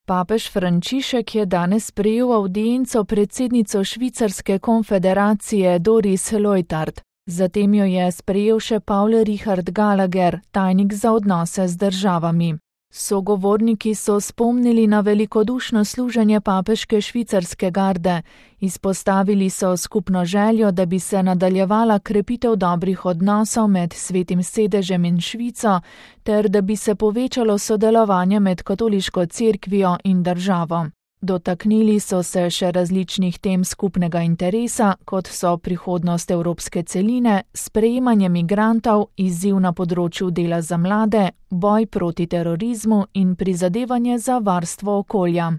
Papež Frančišek je danes sprejel avdienco predsednico Švicarske konfederacije Doris Leuthard. Zatem jo je sprejel še Paul Richard Gallagher, tajnik za odnose z državami. Sogovorniki so spomnili na velikodušno služenje papeške švicarske garde. Izpostavili so skupno željo, da bi se nadaljevala krepitev dobrih odnosov med Svetim sedežem in Švico, ter da bi se povečalo sodelovanje med katoliško cerkvijo in državo. Dotaknili so se še različnih tem skupnega interesa, kot so prihodnost evropske celine, sprejemanje migrantov, izziv na področju dela za mlade, boj proti terorizmu in prizadevanje za varstvo okolja.